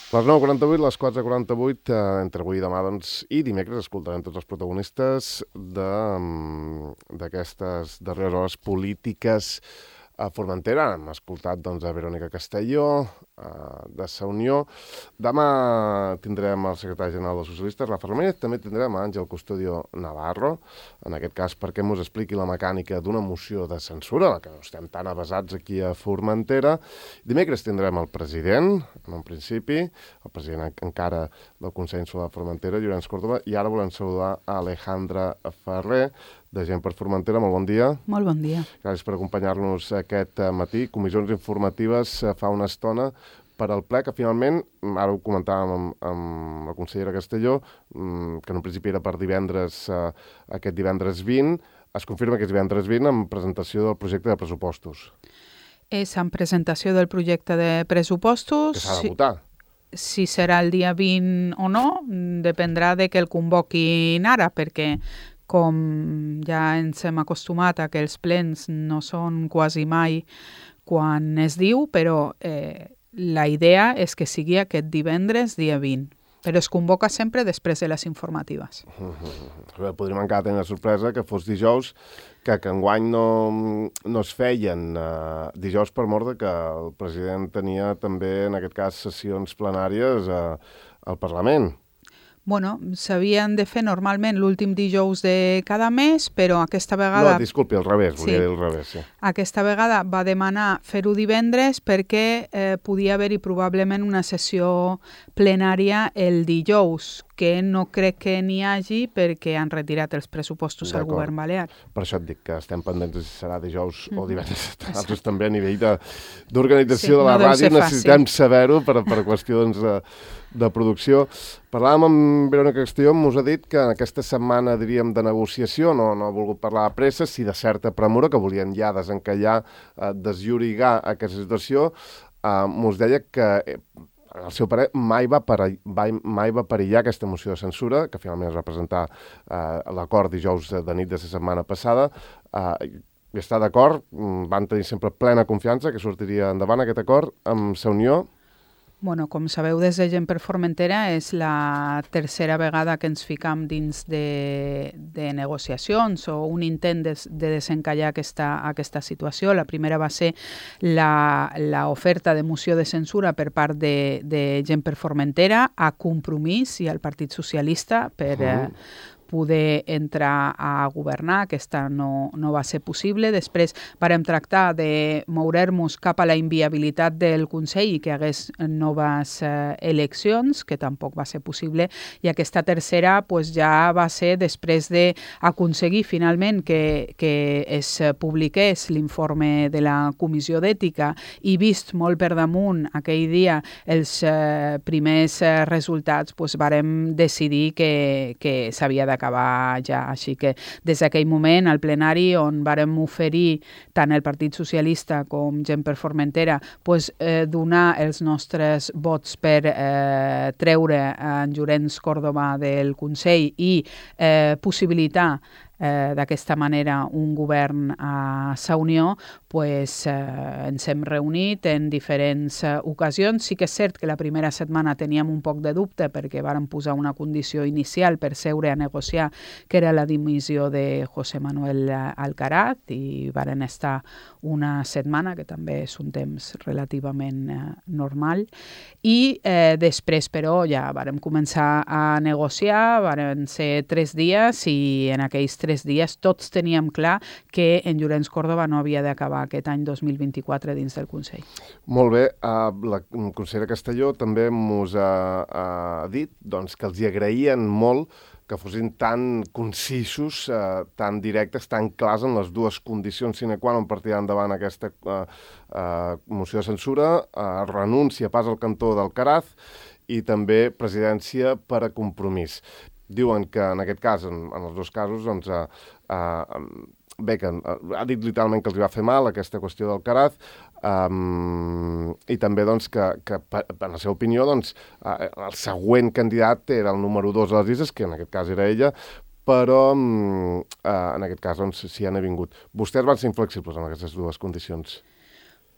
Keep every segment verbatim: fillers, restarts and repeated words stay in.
Les nou quaranta-vuit, les quatre quaranta-vuit, eh, entre avui i demà doncs, i dimecres escoltarem tots els protagonistes d'aquestes darreres hores polítiques a Formentera. Hem escoltat doncs, a Verónica Castelló, eh, de Sa Unió. Demà tindrem el secretari general dels socialistes, Rafa Ramírez. També tindrem a Àngel Custodio Navarro, en aquest cas perquè ens expliqui la mecànica d'una moció de censura, la que no estem tan avasats aquí a Formentera. Dimecres tindrem el president, en un principi, el president encara del Consell Insular de Formentera, Llorenç Córdoba, i ara volem saludar a Alejandra Ferrer, de Gent per Formentera. Molt bon dia. Molt bon dia. Gràcies per acompanyar-nos aquest matí. Comissions informatives fa una estona per al ple, que finalment, ara ho comentàvem amb, amb la consellera Castelló, que en un principi era per divendres, eh, aquest divendres vint, es confirma que és divendres vint amb presentació del projecte de pressupostos. És en presentació del projecte de pressupostos. Que s'ha de votar. Si, si serà el dia vint o no, dependrà de que el convoquin ara, perquè com ja ens hem acostumat a que els plens no són quasi mai quan es diu, però eh, la idea és que sigui aquest divendres, dia vint. Però es convoca sempre després de les informatives. Uh-huh. Podríem encara tenir la sorpresa que fos dijous, que, que enguany no, no es feien uh, dijous per mort de que el president tenia també, en aquest cas, sessions plenàries uh, al Parlament. Bueno, s'havien de fer normalment l'últim dijous de cada mes, però aquesta vegada... No, disculpi, al revés, volia sí. dir al revés, sí. Aquesta vegada va demanar fer-ho divendres perquè eh, podia haver-hi probablement una sessió plenària el dijous, que no crec que n'hi hagi perquè han retirat els pressupostos al govern balear. Per això et dic que estem pendents de si serà dijous mm. o divendres. Nosaltres també a nivell d'organització de, sí, de la no ràdio necessitem saber-ho per, per qüestions de, de producció. Parlàvem amb Verónica Castelló, us ha dit que en aquesta setmana, diríem, de negociació, no, no ha volgut parlar de pressa, si de certa premura, que volien ja desencallar, eh, desllorigar aquesta situació, eh, us deia que... Eh, el seu parer, mai va, per, mai va perillar aquesta moció de censura, que finalment es va presentar eh, l'acord dijous de nit de la setmana passada. Eh, I està d'acord, van tenir sempre plena confiança que sortiria endavant aquest acord amb Sa Unió. Bueno, com sabeu, des de Gent per Formentera és la tercera vegada que ens ficam dins de, de negociacions o un intent de, de desencallar aquesta, aquesta situació. La primera va ser l'oferta de moció de censura per part de, de Gent per Formentera a Compromís i al Partit Socialista per... Uh-huh. eh, poder entrar a governar. Aquesta no, no va ser possible. Després vàrem tractar de mourer-nos cap a la inviabilitat del Consell i que hagués noves eh, eleccions, que tampoc va ser possible. I aquesta tercera pues, ja va ser després d'aconseguir finalment que, que es publiqués l'informe de la Comissió d'Ètica i vist molt per damunt aquell dia els eh, primers eh, resultats, pues, vàrem decidir que, que s'havia de acabar ja. Així que des d'aquell moment, al plenari, on vàrem oferir tant el Partit Socialista com Gent per Formentera pues, eh, donar els nostres vots per eh, treure en Llorenç Córdoba del Consell i eh, possibilitar Eh, d'aquesta manera un govern a Sa Unió, pues, eh, ens hem reunit en diferents eh, ocasions. Sí que és cert que la primera setmana teníem un poc de dubte perquè vàrem posar una condició inicial per seure a negociar, que era la dimissió de José Manuel Alcaraz, i varen estar una setmana, que també és un temps relativament eh, normal. I eh, després, però, ja vàrem començar a negociar, varen ser tres dies i en aquells tres tres dies tots teníem clar que en Llorenç Córdoba no havia d'acabar aquest any dos mil vint-i-quatre dins del Consell. Molt bé. Uh, la consellera Castelló també mos ha, ha dit doncs, que els hi agraïen molt que fossin tan concisos, eh, tan directes, tan clars en les dues condicions sine qua non per tirar endavant aquesta eh, eh, moció de censura, eh, renúncia pas al cantó d'Alcaraz i també presidència per a Compromís. Diuen que en aquest cas, en, en els dos casos, doncs, eh, eh, bé, que eh, ha dit literalment que els va fer mal aquesta qüestió d'Alcaraz, um, i també doncs, que, que, en la seva opinió, doncs, eh, el següent candidat era el número dos de les llistes, que en aquest cas era ella, però eh, en aquest cas doncs, sí han vingut. Vostès van ser inflexibles en aquestes dues condicions.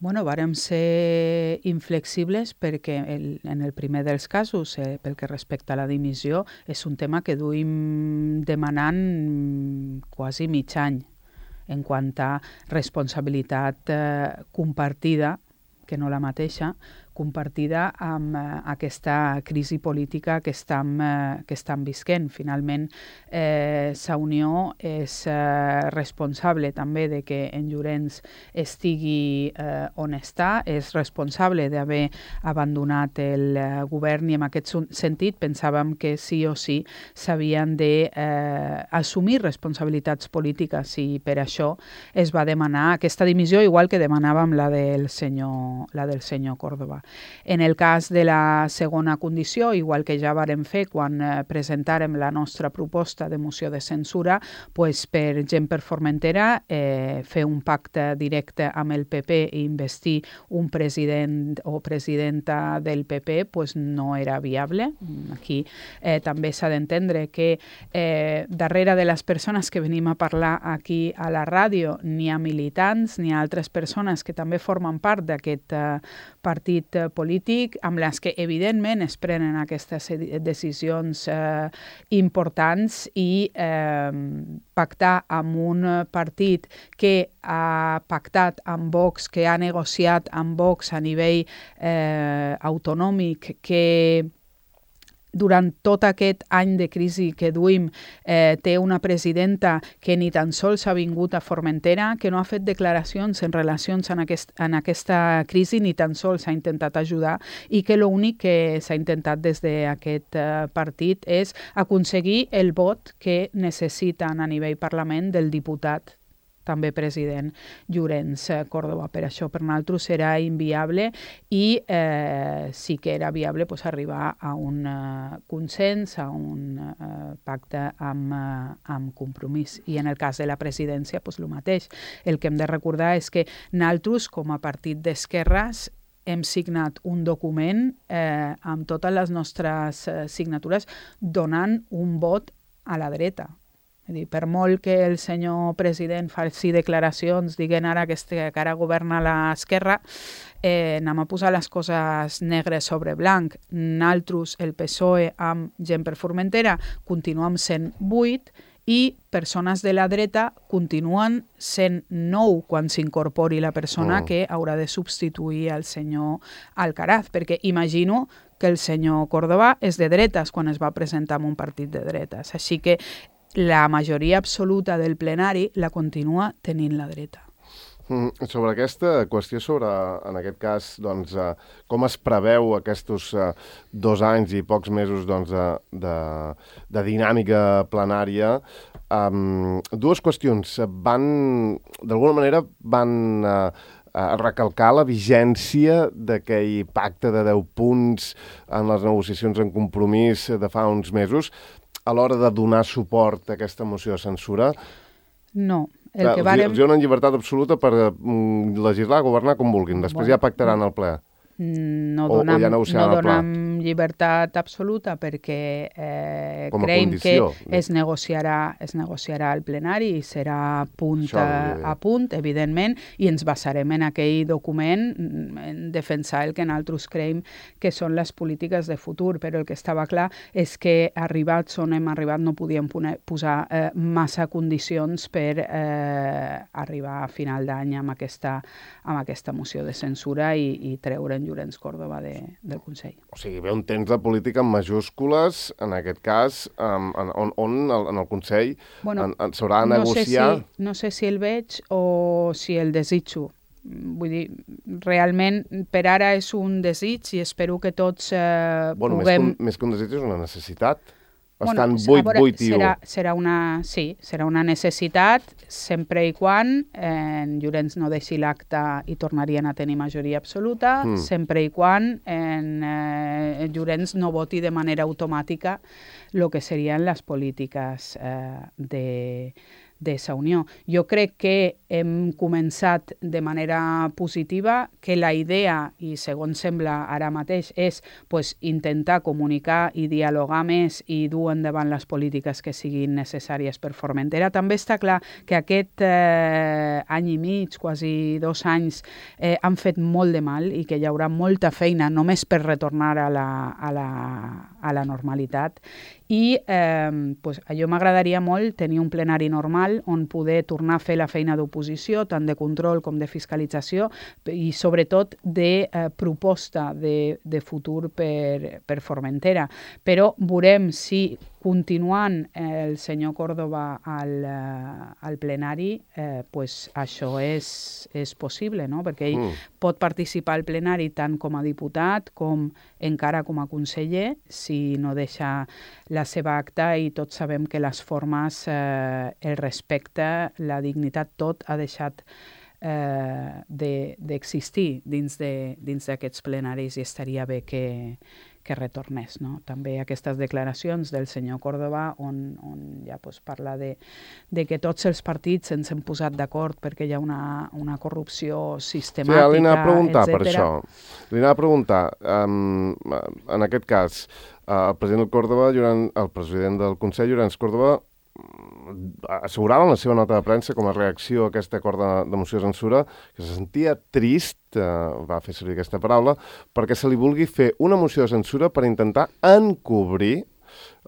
Bueno, vàrem ser inflexibles perquè el, en el primer dels casos, eh, pel que respecta a la dimissió, és un tema que duim demanant quasi mig any en quant a responsabilitat eh, compartida, que no la mateixa, compartida amb eh, aquesta crisi política que estem, eh, que estem visquent. Finalment, eh, Sa Unió és eh, responsable també de que en Llorenç estigui eh, on està, és responsable d'haver abandonat el eh, govern i en aquest sentit pensàvem que sí o sí s'havien d'assumir eh, responsabilitats polítiques i per això es va demanar aquesta dimissió, igual que demanàvem la del senyor, la del senyor Córdoba. En el cas de la segona condició, igual que ja vàrem fer quan eh, presentàrem la nostra proposta de moció de censura, pues, per Gent per Formentera, eh, fer un pacte directe amb el P P i investir un president o presidenta del P P pues, no era viable. Aquí eh, també s'ha d'entendre que eh, darrere de les persones que venim a parlar aquí a la ràdio n'hi ha militants, n'hi ha altres persones que també formen part d'aquest eh, partit polític, amb les que evidentment es prenen aquestes decisions eh, importants i eh, pactar amb un partit que ha pactat amb Vox, que ha negociat amb Vox a nivell eh, autonòmic, que durant tot aquest any de crisi que duim eh, té una presidenta que ni tan sols ha vingut a Formentera, que no ha fet declaracions en relacions en, aquest, en aquesta crisi, ni tan sols ha intentat ajudar i que l'únic que s'ha intentat des d'aquest eh, partit és aconseguir el vot que necessiten a nivell Parlament del diputat també president Llorenç Córdoba. Per això per nosaltres era inviable i eh, sí que era viable pues, arribar a un uh, consens, a un uh, pacte amb, uh, amb compromís. I en el cas de la presidència, pues, el mateix. El que hem de recordar és que nosaltres, com a partit d'esquerres, hem signat un document eh, amb totes les nostres eh, signatures donant un vot a la dreta. Per molt que el senyor president faci declaracions dient ara que, este, que ara governa l'esquerra, eh, anem a posar les coses negres sobre blanc. Nosaltres, el P S O E amb Gent per Formentera, continuem sent vuit i persones de la dreta continuen sent nou quan s'incorpori la persona oh. que haurà de substituir el senyor Alcaraz, perquè imagino que el senyor Córdoba és de dretes quan es va presentar en un partit de dretes. Així que la majoria absoluta del plenari la continua tenint la dreta. Mm, sobre aquesta qüestió, sobre, en aquest cas, doncs, eh, com es preveu aquests eh, dos anys i pocs mesos doncs, de, de, de dinàmica plenària, um, dues qüestions. Van, d'alguna manera, van eh, a recalcar la vigència d'aquell pacte de deu punts en les negociacions en compromís de fa uns mesos, a l'hora de donar suport a aquesta moció de censura? No. El Clar, que vàrem... Els donen llibertat absoluta per mm, legislar, governar com vulguin. Després bueno, ja pactaran el ple. No o, donem, o ja no donem llibertat absoluta perquè eh, creiem que es negociarà, es negociarà al plenari i serà punt a, a punt, evidentment, i ens basarem en aquell document en defensar el que nosaltres creiem que són les polítiques de futur, però el que estava clar és que arribats on hem arribat no podíem posar eh, massa condicions per eh, arribar a final d'any amb aquesta, amb aquesta moció de censura i, i treure'n Llorenç Córdoba de, del Consell. O sigui, ve un temps de política en majúscules, en aquest cas, um, en, on, on en el Consell bueno, s'haurà de no negociar... Sé si, no sé si el veig o si el desitjo. Vull dir, realment, per ara és un desig i espero que tots eh, bueno, puguem... Més que, un, més que un desig és una necessitat. Estan bueno, vuit vuit i u. Serà, serà una, sí, serà una necessitat sempre i quan eh, en Llorenç no deixi l'acte i tornarien a tenir majoria absoluta, mm. sempre i quan en, eh, en Llorenç no voti de manera automàtica el que serien les polítiques eh, de, d'aquesta unió. Jo crec que hem començat de manera positiva, que la idea, i segons sembla ara mateix, és pues, intentar comunicar i dialogar més i dur endavant les polítiques que siguin necessàries per Formentera. També està clar que aquest eh, any i mig, quasi dos anys, eh, han fet molt de mal i que hi haurà molta feina només per retornar a la, a la, a la normalitat. I eh, pues, allò m'agradaria molt tenir un plenari normal on poder tornar a fer la feina d'oposició, tant de control com de fiscalització, i sobretot de eh, proposta de, de futur per, per Formentera. Però veurem si continuant eh, el senyor Córdoba al, eh, al plenari, eh, pues això és, és possible, no? Perquè ell mm. pot participar al plenari tant com a diputat com encara com a conseller, si no deixa la seva acta, i tots sabem que les formes, eh, el respecte, la dignitat, tot ha deixat eh, d'existir de, dins d'aquests plenaris, i estaria bé que, que retornés, no? També aquestes declaracions del senyor Córdoba on, on ja pues, parla de, de que tots els partits ens hem posat d'acord perquè hi ha una, una corrupció sistemàtica, sí, li anava a preguntar etcètera. Per això. Li anava a preguntar, um, en aquest cas, uh, el president del Córdoba, Llorenç, el president del Consell, Llorenç Córdoba, assegurava en la seva nota de premsa com a reacció a aquest acord de, de moció de censura que se sentia trist, eh, va fer servir aquesta paraula, perquè se li vulgui fer una moció de censura per intentar encobrir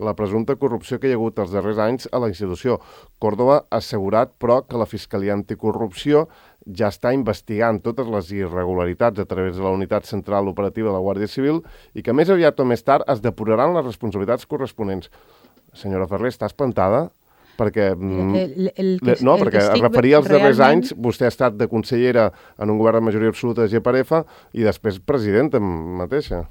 la presumpta corrupció que hi ha hagut els darrers anys a la institució. Córdoba ha assegurat, però, que la Fiscalia Anticorrupció ja està investigant totes les irregularitats a través de la Unitat Central Operativa de la Guàrdia Civil i que més aviat o més tard es depuraran les responsabilitats corresponents. Senyora Ferrer, està espantada? Perquè, el, el, el, no, el perquè es referia als darrers realment... anys, vostè ha estat de consellera en un govern de majoria absoluta de G per F i després presidenta mateixa.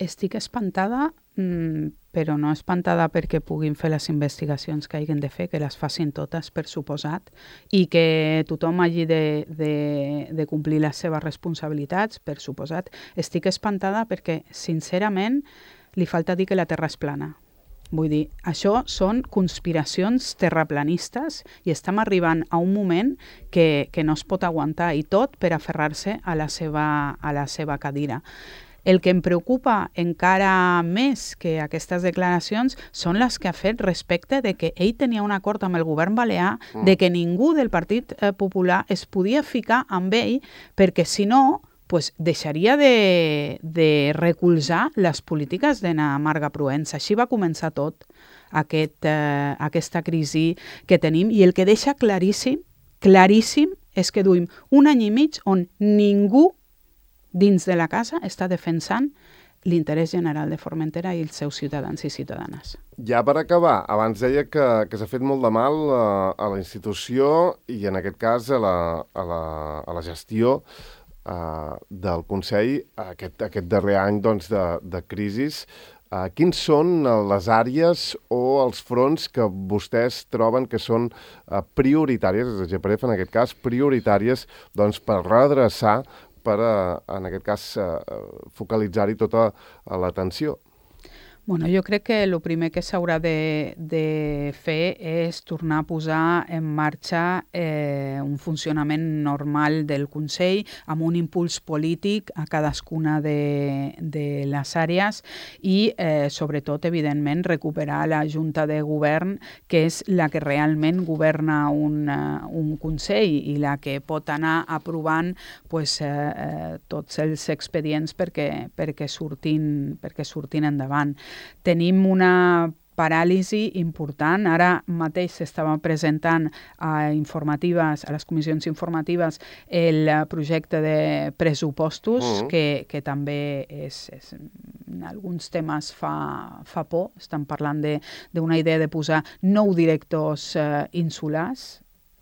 Estic espantada, però no espantada perquè puguin fer les investigacions que hagin de fer, que les facin totes, per suposat, i que tothom hagi de, de, de complir les seves responsabilitats, per suposat. Estic espantada perquè, sincerament, li falta dir que la Terra és plana. Vull dir, això són conspiracions terraplanistes i estem arribant a un moment que, que no es pot aguantar, i tot per aferrar-se a la seva, a la seva cadira. El que em preocupa encara més que aquestes declaracions són les que ha fet respecte de que ell tenia un acord amb el govern balear mm. de que ningú del Partit Popular es podia ficar amb ell perquè, si no, pues deixaria de, de recolzar les polítiques d'Anna Marga Proença. Així va començar tot, aquest, eh, aquesta crisi que tenim, i el que deixa claríssim, claríssim, és que duim un any i mig on ningú dins de la casa està defensant l'interès general de Formentera i els seus ciutadans i ciutadanes. Ja per acabar, abans deia que, que s'ha fet molt de mal a, a la institució i en aquest cas a la, a la, a la gestió Uh, del Consell aquest, aquest darrer any doncs, de, de crisis. Uh, quins són les àrees o els fronts que vostès troben que són uh, prioritàries, des de G per F en aquest cas, prioritàries doncs, per redreçar, per, uh, en aquest cas, uh, focalitzar-hi tota uh, l'atenció? Bueno, jo crec que el primer que s'haurà de, de fer és tornar a posar en marxa eh, un funcionament normal del Consell amb un impuls polític a cadascuna de, de les àrees i, eh, sobretot, evidentment, recuperar la Junta de Govern, que és la que realment governa un, uh, un Consell i la que pot anar aprovant pues, eh, eh, tots els expedients perquè, perquè, surtin, perquè surtin endavant. Tenim una paràlisi important. Ara mateix s'estava presentant a informatives, a les comissions informatives, el projecte de pressupostos, mm. que, que també és, és, en alguns temes fa, fa por. Estan parlant d'una idea de posar nou directors eh, insulars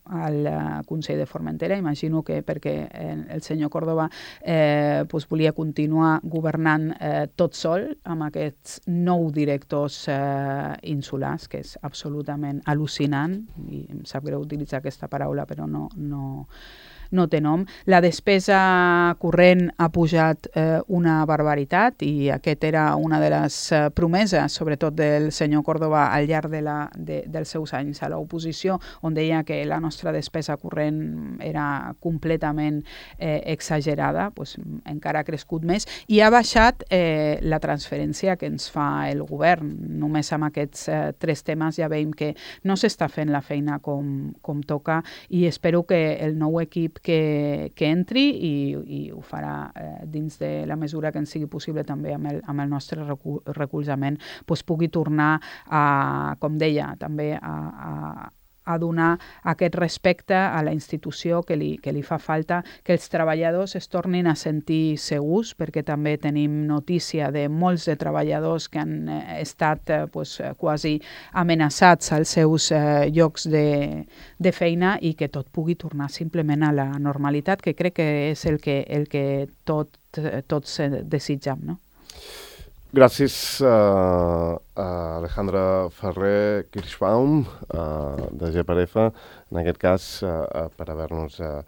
al Consell de Formentera. Imagino que perquè el senyor Córdoba eh, pues volia continuar governant eh, tot sol amb aquests nou directors eh, insulars, que és absolutament al·lucinant, i em sap greu utilitzar aquesta paraula, però no, no, no té nom. La despesa corrent ha pujat eh, una barbaritat i aquest era una de les eh, promeses, sobretot del senyor Córdoba al llarg de la, de, dels seus anys a l'oposició, on deia que la nostra despesa corrent era completament eh, exagerada, pues, encara ha crescut més i ha baixat eh, la transferència que ens fa el govern. Només amb aquests eh, tres temes ja veiem que no s'està fent la feina com, com toca i espero que el nou equip que, que entri i, i ho farà eh, dins de la mesura que ens sigui possible també amb el, amb el nostre recu recolzament, pues pugui tornar a, com deia, també a, a a donar aquest respecte a la institució que li, que li fa falta, que els treballadors es tornin a sentir segurs, perquè també tenim notícia de molts de treballadors que han eh, estat eh, pues, quasi amenaçats als seus eh, llocs de, de feina i que tot pugui tornar simplement a la normalitat, que crec que és el que, el que tot, tots desitjam, no? Gràcies uh, a Alejandra Ferrer Kirschbaum, uh, de G per F, en aquest cas, uh, per haver-nos uh,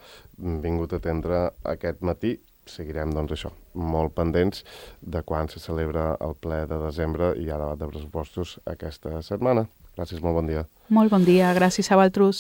vingut a atendre aquest matí. Seguirem, doncs, això, molt pendents de quan se celebra el ple de desembre i hi ha debat de pressupostos aquesta setmana. Gràcies, molt bon dia. Molt bon dia, gràcies a vosaltres.